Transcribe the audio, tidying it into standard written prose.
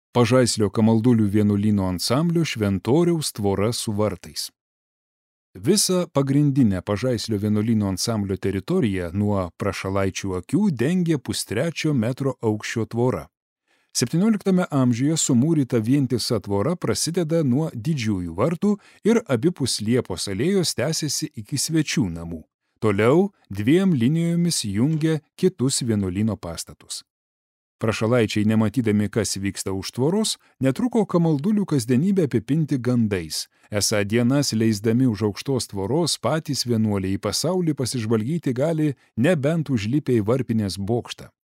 Pažaislio Kamaldulių vienuolyno ansamblio Šventoriaus tvora su vartais. Visą pagrindinę Pažaislio vienuolyno ansamblio teritoriją nuo Prašalaičių akių dengė 1,3 metro aukščio tvora. 17 amžiuje sumūryta vientisa tvora prasideda nuo Didžiųjų vartų ir abipus Liepos alėjos tęsiasi iki Svečių namų. Toliau 2 linijomis jungia kitus vienuolyno pastatus. Prašalaičiai, nematydami, kas vyksta už tvoros, netruko Kamaldulių kasdienybę apipinti gandais. Esą dienas leisdami už aukštos tvoros patys vienuoliai į pasaulį pasižvalgyti gali nebent užlipę į varpinės bokštą.